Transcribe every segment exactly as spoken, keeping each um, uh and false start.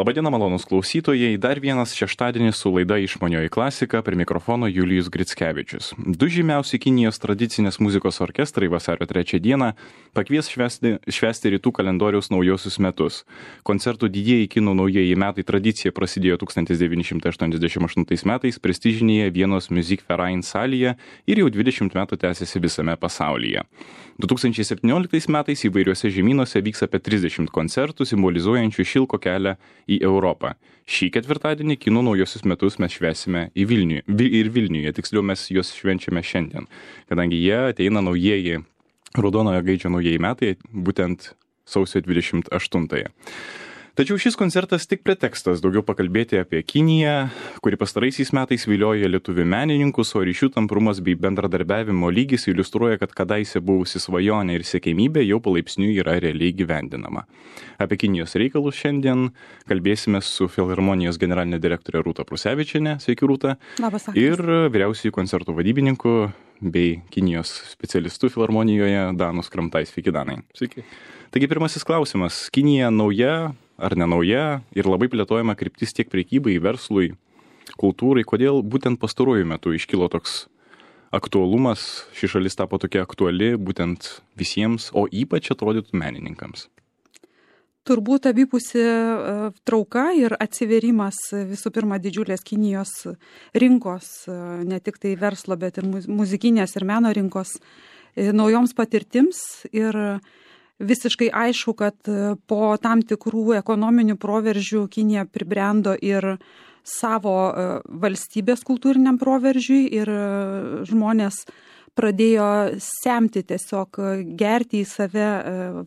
Labadiena, malonūs klausytojai. Dar vienas šeštadienis su laida Išmanioji klasika, prie mikrofono Julijus Grickevičius. Du žymiausi Kinijos tradicinės muzikos orkestrai vasario trečią dieną pakvies švęsti, švęsti rytų kalendoriaus naujosius metus. Koncertų didieji kinų naujieji metai tradicija prasidėjo tūkstantis devyni šimtai aštuoniasdešimt aštuntais metais prestižinėje Vienos Musikverein salėje ir jau dvidešimt metų tęsiasi visame pasaulyje. du tūkstančiai septynioliktais metais įvairiuose žemynuose vyks apie trisdešimt koncertų simbolizuojančių šilko kelią į Europą. Šį ketvirtadienį kinų naujosius metus mes švęsime į Vilnių, ir Vilniuje, tiksliau mes juos švenčiame šiandien, kadangi jie ateina naujieji, raudonojo gaidžio naujieji metai, būtent sausio dvidešimt aštuntąją. Tačiau šis koncertas tik pretekstas daugiau pakalbėti apie Kiniją, kuri pastaraisiais metais vilioja lietuvių menininkus, o ryšių tamprumas bei bendradarbiavimo lygis iliustruoja, kad kadaise buvusi svajonė ir siekėmybė jau palaipsniui yra realiai gyvendinama. Apie Kinijos reikalus šiandien kalbėsime su Filharmonijos generalinė direktorė Rūta Prusevičienė, sveiki Rūta, Labas, ir vyriausiųjų koncertų vadybininku bei Kinijos specialistu Filharmonijoje Danu Skramtai. Sveiki, Danai. Sveiki. Taigi pirmasis klausimas. Kinija nauja ar nenauja ir labai plėtojama kryptis tiek prekybai, verslui, kultūrai. Kodėl būtent pastaruoju metu iškilo toks aktualumas, ši šalis tapo tokia aktuali būtent visiems, o ypač atrodytų menininkams? Turbūt abipusi trauka ir atsiverimas visų pirma didžiulės Kinijos rinkos, ne tik tai verslo, bet ir muzikinės ir meno rinkos naujoms patirtims. Ir visiškai aišku, kad po tam tikrų ekonominių proveržių Kinija pribrendo ir savo valstybės kultūriniam proveržiui ir žmonės pradėjo semti tiesiog gerti į save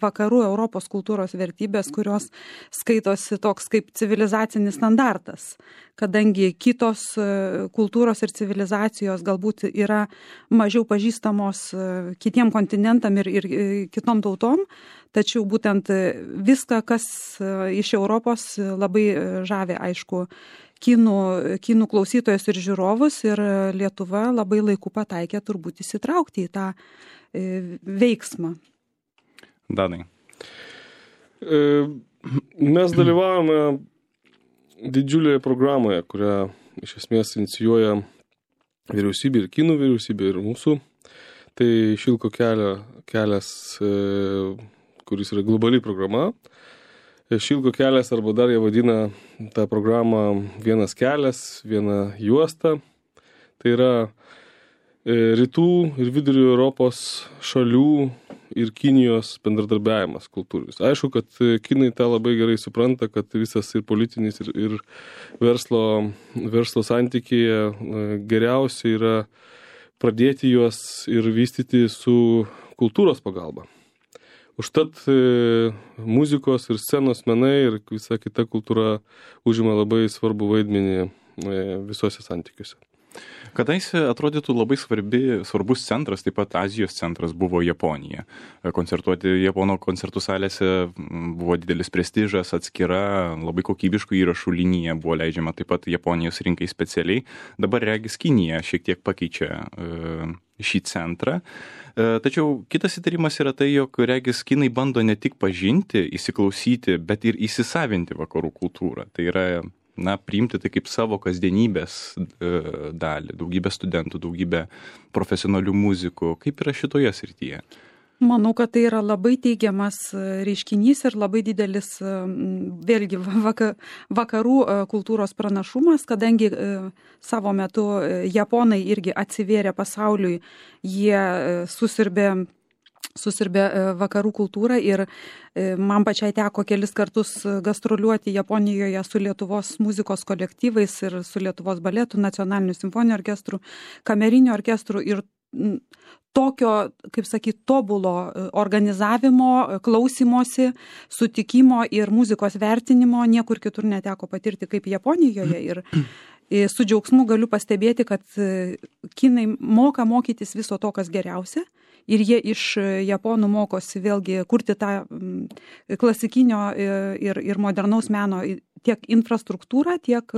vakarų Europos kultūros vertybės, kurios skaitosi toks kaip civilizacinis standartas, kadangi kitos kultūros ir civilizacijos galbūt yra mažiau pažįstamos kitiem kontinentam ir, ir kitom tautom, tačiau būtent viską, kas iš Europos labai žavi, aišku, Kinų, kinų klausytojus ir žiūrovus, ir Lietuva labai laiku pataikė turbūt įsitraukti į tą e, veiksmą. Danai. E, mes dalyvavome didžiulėje programoje, kurią iš esmės inicijuoja vyriausybė ir kinų vyriausybė ir mūsų. Tai šilko kelio, kelias, e, kuris yra globali programa. Šilko kelias, arba dar jie vadina tą programą vienas kelias, viena juosta. Tai yra rytų ir vidurio Europos šalių ir Kinijos bendradarbiavimas kultūrinis. Aišku, kad kinai tą labai gerai supranta, kad visas ir politinis, ir, ir verslo, verslo santykiai geriausia yra pradėti juos ir vystyti su kultūros pagalba. Užtat e, muzikos ir scenos menai ir visa kita kultūra užima labai svarbu vaidmenį e, visose santykiuose. Kadaise atrodytų labai svarbi, svarbus centras, taip pat Azijos centras buvo Japonija. Koncertuoti Japono koncertų salėse buvo didelis prestižas, atskira, labai kokybiškų įrašų linija buvo leidžiama taip pat Japonijos rinkai specialiai. Dabar regis Kinija šiek tiek pakeičia e, šį centrą. Tačiau kitas įtarimas yra tai, jog regis kinai bando ne tik pažinti, įsiklausyti, bet ir įsisavinti vakarų kultūrą. Tai yra, na, priimti tai kaip savo kasdienybės dalį. Daugybė studentų, daugybė profesionalių muzikų. Kaip yra šitoje srityje? Manau, kad tai yra labai teigiamas reiškinys ir labai didelis vėlgi vakarų kultūros pranašumas, kadangi savo metu japonai irgi atsivėrė pasauliui, jie susirbė, susirbė vakarų kultūrą ir man pačiai teko kelis kartus gastroliuoti Japonijoje su Lietuvos muzikos kolektyvais ir su Lietuvos baletų, nacionaliniu simfoniniu orkestru, kameriniu orkestru ir tokio, kaip sakyti, tobulo organizavimo, klausimosi, sutikimo ir muzikos vertinimo niekur kitur neteko patirti kaip Japonijoje. Ir su džiaugsmu galiu pastebėti, kad kinai moka mokytis viso to, kas geriausia. Ir jie iš japonų mokosi vėlgi kurti tą klasikinio ir, ir modernaus meno tiek infrastruktūrą, tiek,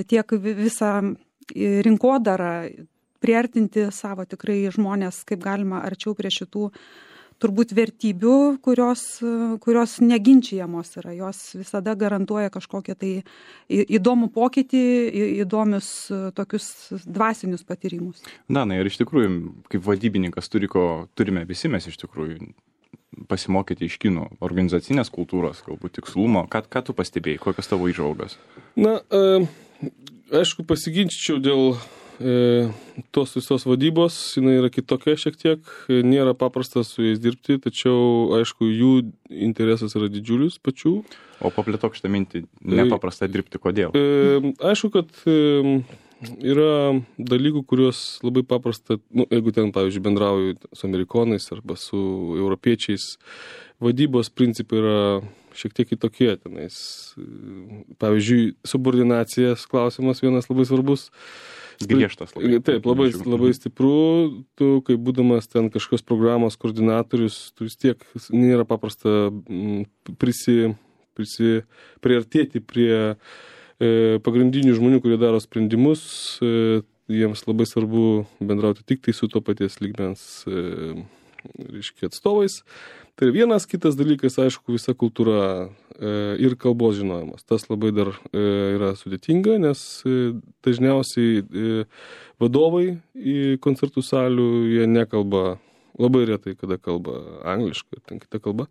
tiek visą rinkodarą, priartinti savo tikrai žmonės kaip galima arčiau prie šitų turbūt vertybių, kurios, kurios neginčiamos yra. Jos visada garantuoja kažkokią tai įdomų pokytį, įdomius tokius dvasinius patyrimus. Na, na ir iš tikrųjų, kaip vadybininkas turi ko, turime visi mes iš tikrųjų pasimokyti iš kinų organizacinės kultūros, galbūt tikslumo. Ką, ką tu pastebėjai, kokios tavo įžvalgos? Na, e, aišku, pasiginčiau dėl E, tos visos vadybos, jinai yra kitokia šiek tiek, nėra paprasta su jais dirbti, tačiau, aišku, jų interesas yra didžiulis pačių. O paplėtok šitą mintį, nepaprasta dirbti, kodėl? E, aišku, kad e, yra dalykų, kuriuos labai paprasta, nu, jeigu ten, pavyzdžiui, bendrauju su amerikonais arba su europiečiais, vadybos principai yra šiek tiek kitokie tenais. Pavyzdžiui, subordinacijos klausimas vienas labai svarbus. Griežtas labai. Taip, labai, labai stipru, tu, kaip būdamas ten kažkokios programos koordinatorius, tu vis tiek nėra paprasta prisi, prisi, priartėti prie e, pagrindinių žmonių, kurie daro sprendimus, e, jiems labai svarbu bendrauti tik tai su to paties lygmens e, reiškia, atstovais. Tai vienas kitas dalykas, aišku, visa kultūra e, ir kalbos žinojimas. Tas labai dar e, yra sudėtinga, nes e, dažniausiai e, vadovai į koncertų salių, jie nekalba, labai retai, kada kalba angliškai, ten kita kalba.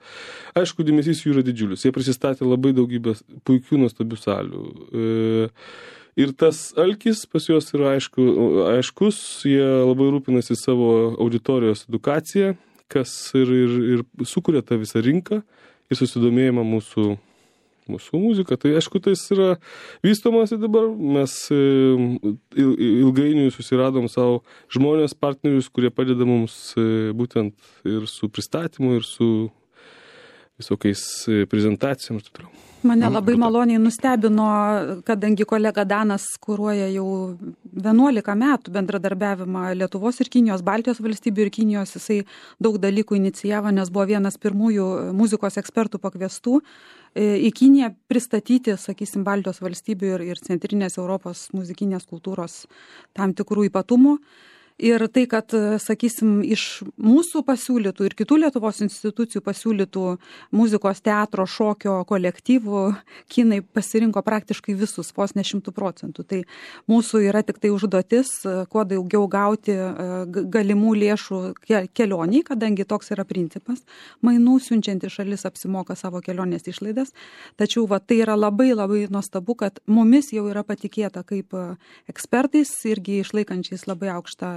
Aišku, dėmesys jų yra didžiulis. Jie prisistatė labai daugybę puikių, nuostabių salių. E, ir tas alkis pas juos yra aišku, aiškus, jie labai rūpinasi savo auditorijos edukaciją, kas ir, ir, ir sukuria tą visą rinką ir susidomėjimą mūsų, mūsų muziką. Tai aišku, tai yra vystomasi dabar. Mes ilgainiui susiradom savo žmonės, partnerius, kurie padeda mums būtent ir su pristatymu, ir su visokiais prezentacijom ir taip toliau. Mane labai maloniai nustebino, kadangi kolega Danas kuruoja jau vienuolika metų bendradarbiavimą Lietuvos ir Kinijos, Baltijos valstybių ir Kinijos, jisai daug dalykų inicijavo, nes buvo vienas pirmųjų muzikos ekspertų pakviestų į Kiniją pristatyti, sakysim, Baltijos valstybių ir, ir centrinės Europos muzikinės kultūros tam tikrų ypatumų. Ir tai, kad, sakysim, iš mūsų pasiūlytų ir kitų Lietuvos institucijų pasiūlytų muzikos, teatro, šokio kolektyvų, kinai pasirinko praktiškai visus, vos ne šimtų procentų. Tai mūsų yra tik tai užduotis, kuo daugiau gauti galimų lėšų kelioniai, kadangi toks yra principas. Mainų siunčianti šalis apsimoka savo kelionės išlaidas. Tačiau va, tai yra labai labai nuostabu, kad mumis jau yra patikėta kaip ekspertais, irgi išlaikančiais labai aukštą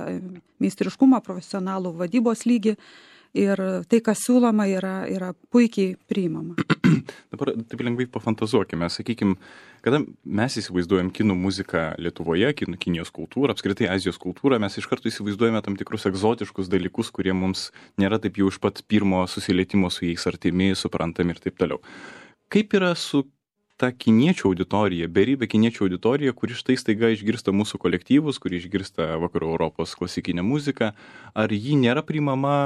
meistriškumą, profesionalų vadybos lygį ir tai, kas siūloma, yra, yra puikiai priimama. Dabar taip lengvai pafantazuokime, sakykime, kada mes įsivaizduojam kinų muziką Lietuvoje, kinų, Kinijos kultūrą, apskritai Azijos kultūrą, mes iš karto įsivaizduojame tam tikrus egzotiškus dalykus, kurie mums nėra taip jau iš pat pirmo susilietimo su jais artimi, suprantami ir taip toliau. Kaip yra su ta kiniečių auditorija, beribė kiniečių auditorija, kuri štai staiga išgirsta mūsų kolektyvus, kuri išgirsta vakarų Europos klasikinę muziką, ar ji nėra priimama,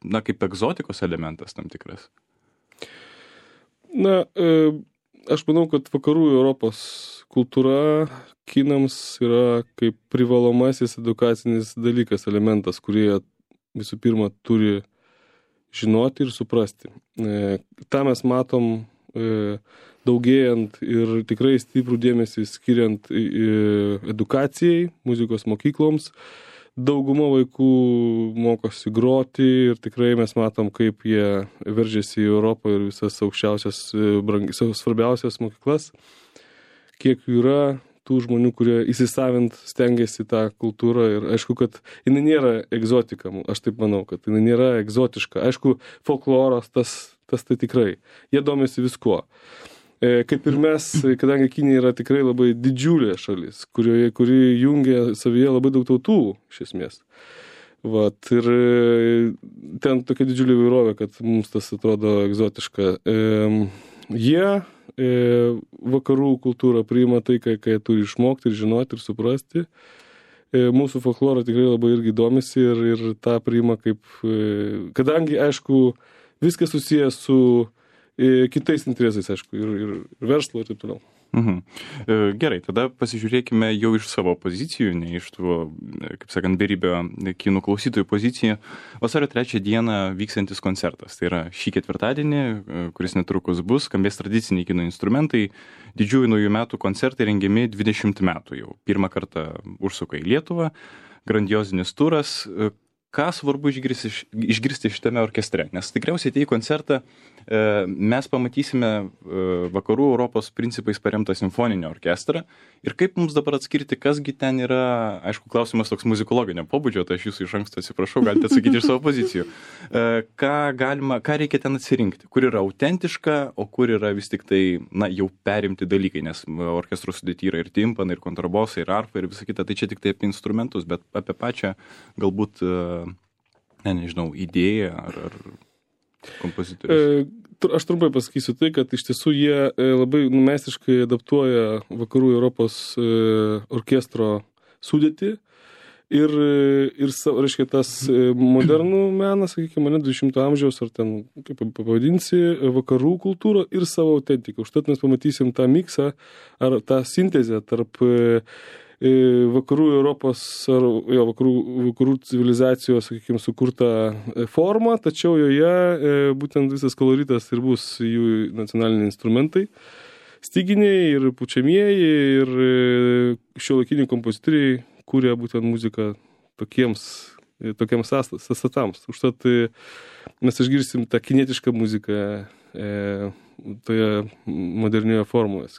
na, kaip egzotikos elementas tam tikras? Na, e, aš manau, kad vakarų Europos kultūra kinams yra kaip privalomasis edukacinis dalykas, elementas, kurie visų pirma turi žinoti ir suprasti. E, tą mes matom e, daugėjant ir tikrai stiprų dėmesį skiriant edukacijai, muzikos mokykloms. Dauguma vaikų mokosi groti ir tikrai mes matom, kaip jie veržiasi į Europą ir visas aukščiausias, svarbiausias mokyklas. Kiek jų yra tų žmonių, kurie įsisavint stengiasi tą kultūrą ir aišku, kad jinai nėra egzotika, aš taip manau, kad jinai nėra egzotiška. Aišku, folkloras tas, tas tai tikrai. Jie domisi viskuo. Kaip ir mes, kadangi Kinija yra tikrai labai didžiulė šalis, kurioje, kuri jungia savyje labai daug tautų, iš esmės. Vat, ir ten tokia didžiulė įvairovė, kad mums tas atrodo egzotiška. E, jie e, vakarų kultūrą priima tai, ką, ką jie turi išmokti ir žinoti ir suprasti. E, mūsų folklorą tikrai labai irgi domisi ir, ir tą priima kaip... E, kadangi, aišku, viskas susijęs su kitais interesais, aišku, ir, ir, ir verslo ir taip toliau. Mhm. Gerai, tada pasižiūrėkime jau iš savo pozicijų, ne iš tų, kaip sakant, beribio kinų klausytojų pozicijų. Vasario trečią dieną vyksantis koncertas. Tai yra šį ketvirtadienį, kuris netrukus bus, skambės tradiciniai kino instrumentai. Didžiųjų naujų metų koncertai rengiami dvidešimt metų jau. Pirmą kartą užsuka į Lietuvą, grandiozinis turas. Ką svarbu išgirsti, išgirsti šitame orkestre? Nes tikriausiai atėję į koncertą mes pamatysime vakarų Europos principais paremtą simfoninį orkestrą. Ir kaip mums dabar atskirti, kasgi ten yra, aišku, klausimas toks muzikologinio pobūdžio, tai aš jūsų iš anksto atsiprašau, galite atsakyti iš savo pozicijų. Ką galima, ką reikia ten atsirinkti? Kur yra autentiška, o kur yra vis tik tai, na, jau perimti dalykai, nes orkestro sudėty yra ir timpanai, ir kontrabosai, ir arfa, ir visa kita. Tai čia tik tai apie instrumentus, bet apie pačią galbūt, ne, nežinau, idėją ar, ar kompozitorius. Aš trumpai pasakysiu tai, kad iš tiesų jie labai meistriškai adaptuoja vakarų Europos orkestro sudėtį ir, ir reiškia, tas modernų meną, sakykime, ne dvidešimto amžiaus, ar ten, kaip pavadinsi, vakarų kultūrą ir savo autentiką. Užtat mes pamatysim tą miksą ar tą sintezę tarp vakarų Europos ar jo, vakarų, vakarų civilizacijos, sakykime, sukurtą formą, tačiau joje būtent visas koloritas ir bus jų nacionaliniai instrumentai, styginiai ir pučiamieji ir šiuolaikiniai kompozitoriai kūrė būtent muziką tokiems, tokiems sąstatams. Užtat mes išgirsim tą kinietišką muziką e, toje modernioje formoje.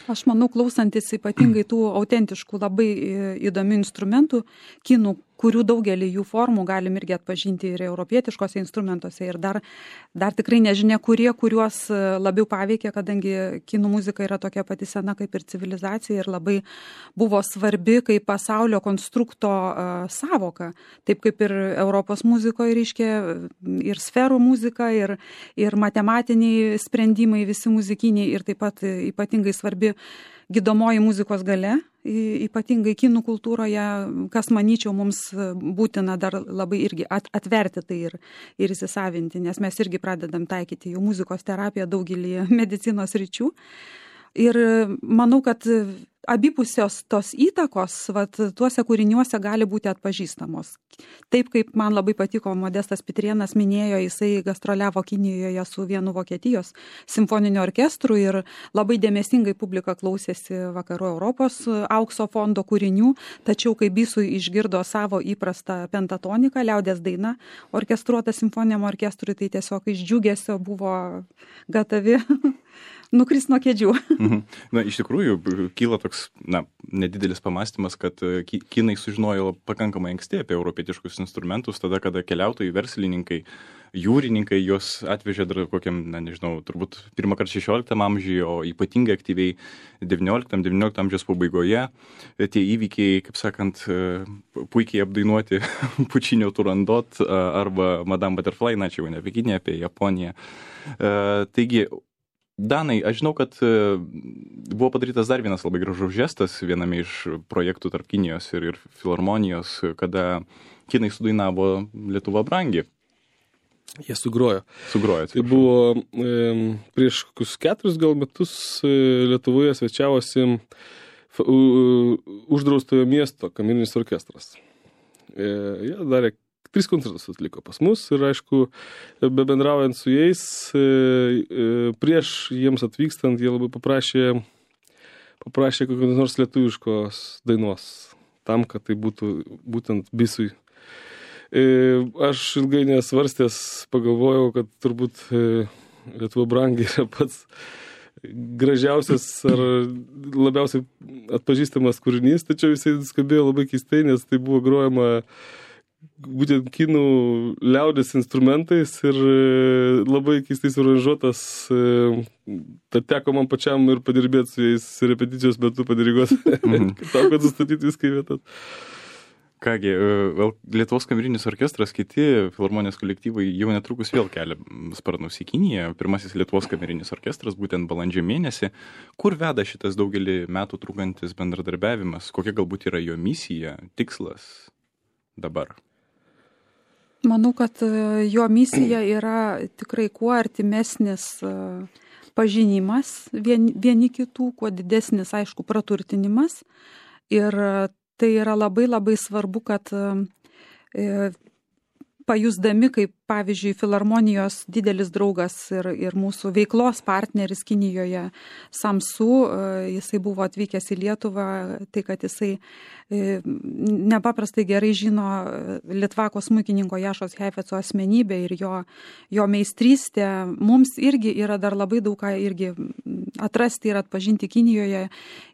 Aš manau, klausantis ypatingai tų autentiškų, labai įdomių instrumentų, kinų, kurių daugelį jų formų galim irgi atpažinti ir europietiškose instrumentuose. Ir dar, dar tikrai nežinia, kurie, kuriuos labiau paveikė, kadangi kinų muzika yra tokia pati sena kaip ir civilizacija ir labai buvo svarbi kaip pasaulio konstrukto uh, savoka. Taip kaip ir Europos muzikoje reiškia ir sferų muzika, ir, ir matematiniai sprendimai, visi muzikiniai ir taip pat ypatingai svarbi gydomoji muzikos galia, ypatingai kinų kultūroje, kas, manyčiau, mums būtina dar labai irgi atverti tai ir, ir įsisavinti, nes mes irgi pradedam taikyti jų muzikos terapiją daugelį medicinos ryčių. Ir manau, kad abipusios tos įtakos vat, tuose kūriniuose gali būti atpažįstamos. Taip kaip man labai patiko, Modestas Pitrėnas minėjo, jisai gastroliavo Kinijoje su vienu Vokietijos simfoniniu orkestru ir labai dėmesingai publika klausėsi vakarų Europos aukso fondo kūrinių, tačiau kai Bisui išgirdo savo įprastą pentatoniką, liaudies daina, orkestruota simfoniniam orkestrui, tai tiesiog iš džiugesio buvo gatavi nukris nuo kėdžių. Mhm. Na, iš tikrųjų, kyla toks, na, nedidelis pamastymas, kad kinai sužinojo pakankamai anksti apie europietiškus instrumentus, tada, kada keliautojai, verslininkai, jūrininkai juos atvežė dar kokiam, na, nežinau, turbūt pirmą kartą šešioliktam amžiuje, o ypatingai aktyviai devynioliktam amžiaus pabaigoje. Tie įvykiai, kaip sakant, puikiai apdainuoti Pučinio Turandot arba Madame Butterfly, na, čia jau ne apie Kiniją, apie Japoniją. Taigi, Danai, aš žinau, kad buvo padarytas dar vienas labai gražus žestas viename iš projektų tarp Kinijos ir, ir filharmonijos, kada kinai sudainavo Lietuva brangi. Jie sugrojo. Sugrojo. Tai buvo e, prieš kokius keturis gal metus e, Lietuvoje svečiavosi f, u, uždraustojo miesto kamerinis orkestras. E, jie darė Tris koncertus atliko pas mus ir, aišku, bebendraujant su jais, prieš jiems atvykstant, jie labai paprašė, paprašė kokios nors lietuviškos dainos, tam, kad tai būtų būtent Bisui. Aš ilgai nesvarstęs pagalvojau, kad turbūt Lietuva brangi yra pats gražiausias ar labiausiai atpažįstamas kūrinys, tačiau jisai skambėjo labai keistai, nes tai buvo grojama būtent kinų liaudės instrumentais ir labai keistai suranžuotas. Tad teko man pačiam ir padirbėti su jais repeticijos metu padiriguoti, mm. tam, kad sustatyti viską į vietas. Kągi, Lietuvos kamerinis orkestras, kiti filharmonijos kolektyvai jau netrukus vėl kelia sparnus į Kiniją. Pirmasis Lietuvos kamerinis orkestras būtent balandžio mėnesį. Kur veda šitas daugelį metų trukantis bendradarbiavimas? Kokia galbūt yra jo misija, tikslas dabar? Manau, kad jo misija yra tikrai kuo artimesnis pažinimas vieni, vieni kitų, kuo didesnis, aišku, praturtinimas. Ir tai yra labai labai svarbu, kad e, pajusdami, kaip pavyzdžiui, Filharmonijos didelis draugas ir, ir mūsų veiklos partneris Kinijoje Samsu, jisai buvo atvykęs į Lietuvą, tai kad jisai nepaprastai gerai žino Litvako smuikininko Jašos Heifetzo asmenybę ir jo, jo meistrystę. Mums irgi yra dar labai daug ką irgi atrasti ir atpažinti Kinijoje.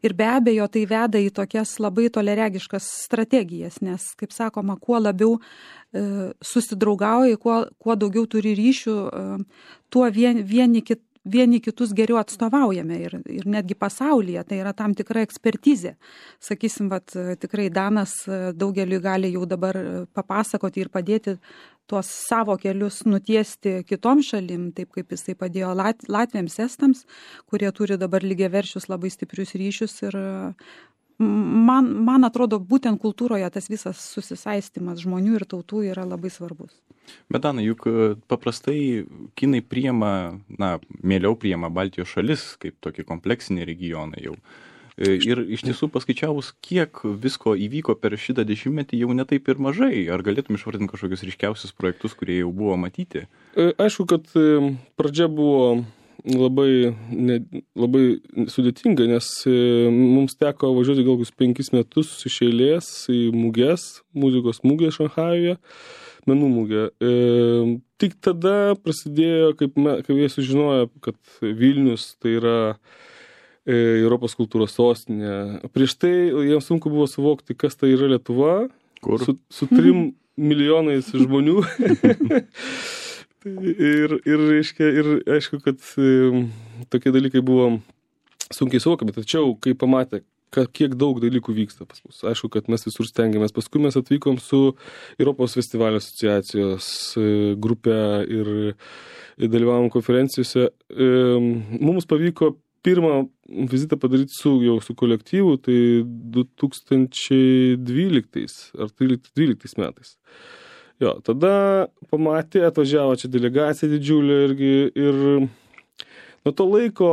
Ir be abejo, tai veda į tokias labai toleregiškas strategijas, nes, kaip sakoma, kuo labiau susidraugauja, kuo, kuo daugiau turi ryšių, tuo vien, vieni, kit, vieni kitus geriau atstovaujame ir, ir netgi pasaulyje. Tai yra tam tikra ekspertizė. Sakysim, vat, tikrai Danas daugeliui gali jau dabar papasakoti ir padėti tuos savo kelius nutiesti kitom šalim, taip kaip jisai padėjo Lat, Latviams, Estams, kurie turi dabar lygiaverčius labai stiprius ryšius ir Man, man atrodo, būtent kultūroje tas visas susisaistimas žmonių ir tautų yra labai svarbus. Bet, Dana, juk paprastai kinai priima, na, mieliau priima Baltijos šalis kaip tokį kompleksinį regioną jau. Ir iš tiesų paskaičiavus, kiek visko įvyko per šitą dešimtmetį, jau netaip ir mažai. Ar galėtum išvardinti kažkokius ryškiausius projektus, kurie jau buvo matyti? Aišku, kad pradžia buvo labai, ne, labai sudėtinga, nes mums teko važiuoti gal kokius penkis metus iš eilės į muges, muzikos mugę Šanchajuje, menų mugę. E, tik tada prasidėjo, kaip, me, kaip jie sužinojo, kad Vilnius tai yra e, Europos kultūros sostinė. Prieš tai jiems sunku buvo suvokti, kas tai yra Lietuva, Kur? su, su trim milijonais žmonių. Ir, ir, reiškia, ir aišku, kad e, tokie dalykai buvo sunkiai suvokiami, tačiau kai pamatė, kad, kiek daug dalykų vyksta pas mus, aišku, kad mes visur stengiamės. Paskui mes atvykom su Europos festivalio asociacijos e, grupė ir, ir dalyvavom konferencijose. E, mums pavyko pirmą vizitą padaryti su, jau su kolektyvu, tai du tūkstančiai dvyliktais ar tryliktais metais. Jo, tada pamatė, atvažiavo čia delegacija didžiulė irgi ir nuo to laiko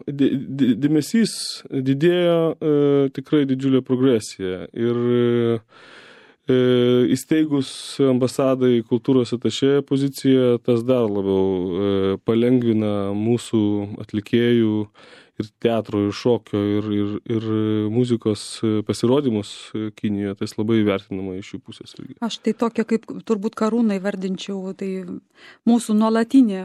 dėmesys didėjo e, tikrai didžiulė progresija ir e, įsteigus ambasadai kultūros atašė poziciją, tas dar labiau e, palengvina mūsų atlikėjų ir teatro, ir šokio, ir, ir, ir muzikos pasirodymus Kinijoje, tai labai vertinama iš jų pusės. Irgi. Aš tai tokia, kaip turbūt Karūnai vardinčiau, tai mūsų nuolatinė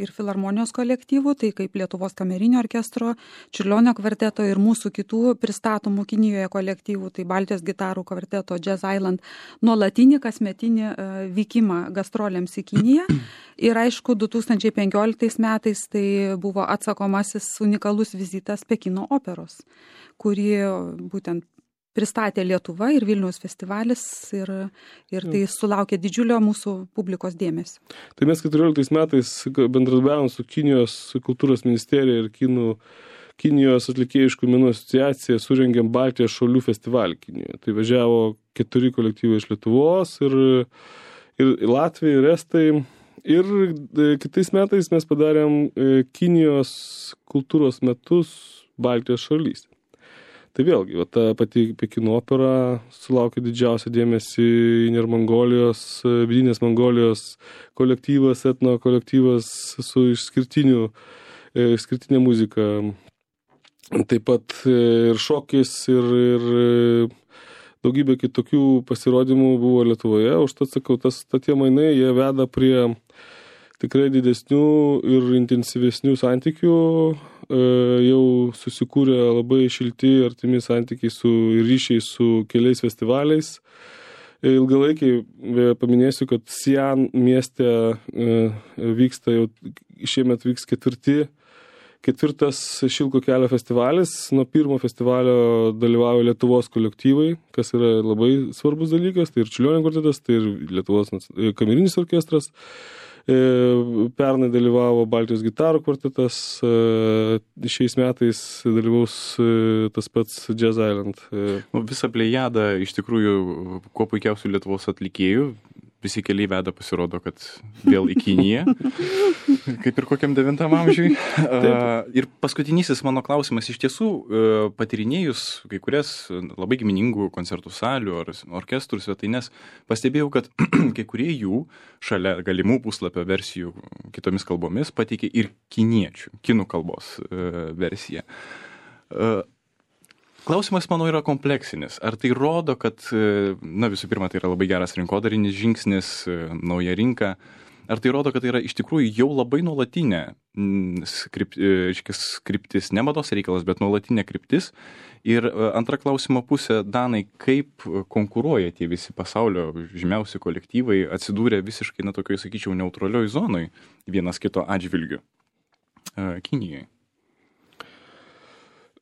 ir Filharmonijos kolektyvų, tai kaip Lietuvos kamerinio orkestro, Čiurlionio kvarteto ir mūsų kitų pristatomų Kinijoje kolektyvų, tai Baltijos gitarų kvarteto, Jazz Island, nuolatinį kasmetinį vykimą gastrolėms į Kiniją. Ir aišku, du tūkstančiai penkioliktais metais tai buvo atsakomasis unikalus vizitas Pekino operos, kurį būtent pristatė Lietuva ir Vilniaus festivalis ir, ir tai sulaukė didžiulio mūsų publikos dėmesio. Tai mes keturioliktais metais bendradarbiavom su Kinijos kultūros ministerija ir Kinų, Kinijos atlikėjiškų menų asociacija, surengėm Baltijos šalių festivalį Kinijoje. Tai važiavo keturi kolektyvai iš Lietuvos ir, ir Latvija, ir Estai. Ir kitais metais mes padarėm Kinijos kultūros metus Baltijos šalyse. Tai vėlgi, va, ta pati Pekino opera sulaukė didžiausią dėmesį Inner Mongolijos, vidinės Mongolijos kolektyvas, etno kolektyvas su išskirtiniu, išskirtinė muzika. Taip pat ir šokis, ir, ir daugybė kitokių pasirodymų buvo Lietuvoje. Užtat sakau, tas, tie mainai, jie veda prie tikrai didesnių ir intensyvesnių santykių. E, jau susikūrė labai šilti, artimi santykiai su ryšiai su keliais festivaliais. E, ilgalaikiai paminėsiu, kad Sian mieste e, vyksta jau, šiemet vyks ketvirti Ketvirtas Šilko kelio festivalis. Nuo pirmo festivalio dalyvauja Lietuvos kolektyvai, kas yra labai svarbus dalykas. Tai ir Čiurlionio kvartetas, tai ir Lietuvos kamerinis orkestras. Pernai dalyvavo Baltijos gitarų kvartetas. Šiais metais dalyvaus tas pats Jazz Island. Visa plejada iš tikrųjų kuo puikiausių Lietuvos atlikėjų. visi keliai veda, pasirodo, kad vėl į Kiniją, kaip ir kokiam devintam amžiui. Ir paskutinysis mano klausimas, iš tiesų, patyrinėjus kai kurias labai giminingų koncertų salių ar orkestrų svetaines, pastebėjau, kad kai kurie jų šalia galimų puslapio versijų kitomis kalbomis pateikė ir kiniečių, kinų kalbos versiją. Klausimas, manau, yra kompleksinis. Ar tai rodo, kad, na, visų pirma, tai yra labai geras rinkodarinis žingsnis, nauja rinka. Ar tai rodo, kad tai yra iš tikrųjų jau labai nuolatinė skrip, skriptis, ne mados reikalas, bet nuolatinė kryptis. Ir antra klausimo pusė, Danai, kaip konkuruoja tie visi pasaulio žymiausi kolektyvai, atsidūrė visiškai, na, tokioj, sakyčiau, neutralioj zonoj vienas kito atžvilgiu Kinijoje?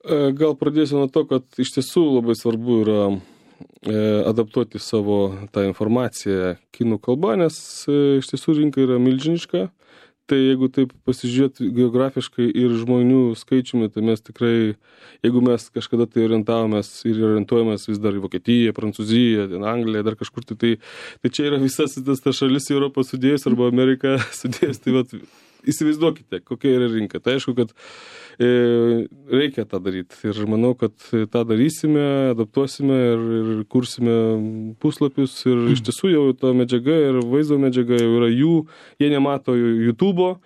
Gal pradėsiu nuo to, kad iš tiesų labai svarbu yra adaptuoti savo tą informaciją kinų kalba, nes iš tiesų rinka yra milžiniška. Tai jeigu taip pasižiūrėti geografiškai ir žmonių skaičiumi, tai mes tikrai, jeigu mes kažkada tai orientavomės ir orientuojamės vis dar į Vokietiją, Prancūziją, Angliją, dar kažkur, tai, tai, tai čia yra visas tas ta šalis Europą sudėjus arba Ameriką sudėjus. Tai vat, įsivaizduokite, kokia yra rinka. Tai aišku, kad e, reikia tą daryti. Ir manau, kad tą darysime, adaptuosime ir, ir kursime puslapius. Ir iš tiesų jau ta medžiaga ir vaizdo medžiaga jau yra jų. Jie nemato YouTube'o,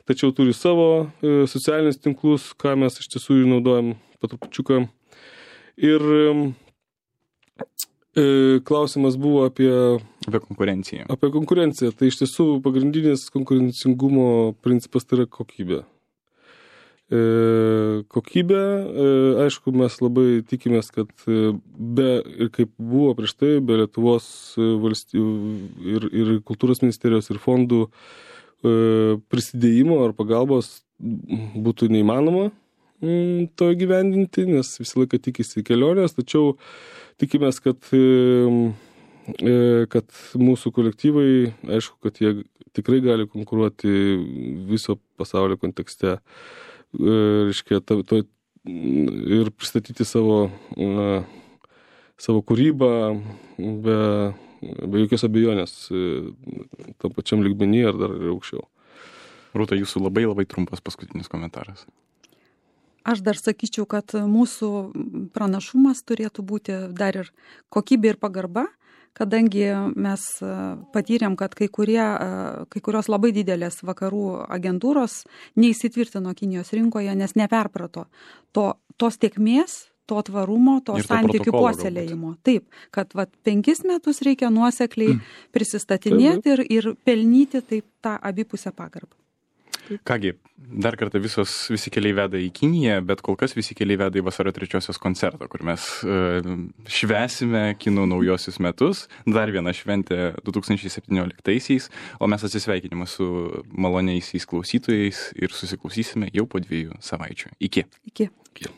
tačiau turi savo e, socialinius tinklus, ką mes iš tiesų naudojam patrupučiuką. Ir e, klausimas buvo apie... Apie konkurenciją. Apie konkurenciją. Tai iš tiesų pagrindinis konkurencingumo principas tai yra kokybė. E, kokybė, e, aišku, mes labai tikimės, kad be, ir kaip buvo prieš tai, be Lietuvos valstybių ir, ir kultūros ministerijos ir fondų e, prisidėjimo ar pagalbos būtų neįmanoma m, to gyvendinti, nes visą laiką tikisi kelionės, tačiau tikimės, kad e, kad mūsų kolektyvai, aišku, kad jie tikrai gali konkuruoti viso pasaulio kontekste, reiškia, to, to, ir pristatyti savo, na, savo kūrybą be, be jokios abejonės tam pačiam lygmenį ar dar aukščiau. Rūta, jūsų labai labai trumpas paskutinis komentaras. Aš dar sakyčiau, kad mūsų pranašumas turėtų būti dar ir kokybė ir pagarba, kadangi mes patyrėm, kad kai, kurie, kai kurios labai didelės vakarų agentūros neįsitvirtino Kinijos rinkoje, nes neperprato to, tos tiekmės, to tvarumo, to santykių puoselėjimo. Taip, kad vat, penkis metus reikia nuosekliai mm. prisistatinėti ir, ir pelnyti taip tą abipusę pagarbą. Kągi, dar kartą visos, visi keliai veda į Kiniją, bet kol kas visi keliai veda į vasario trečiosios koncertą, kur mes e, švęsime kinų naujosius metus, dar vieną šventę du tūkstančiai septynioliktaisiais, o mes atsisveikinime su maloniaisiais klausytojais ir susiklausysime jau po dviejų savaičių. Iki. Iki. Iki.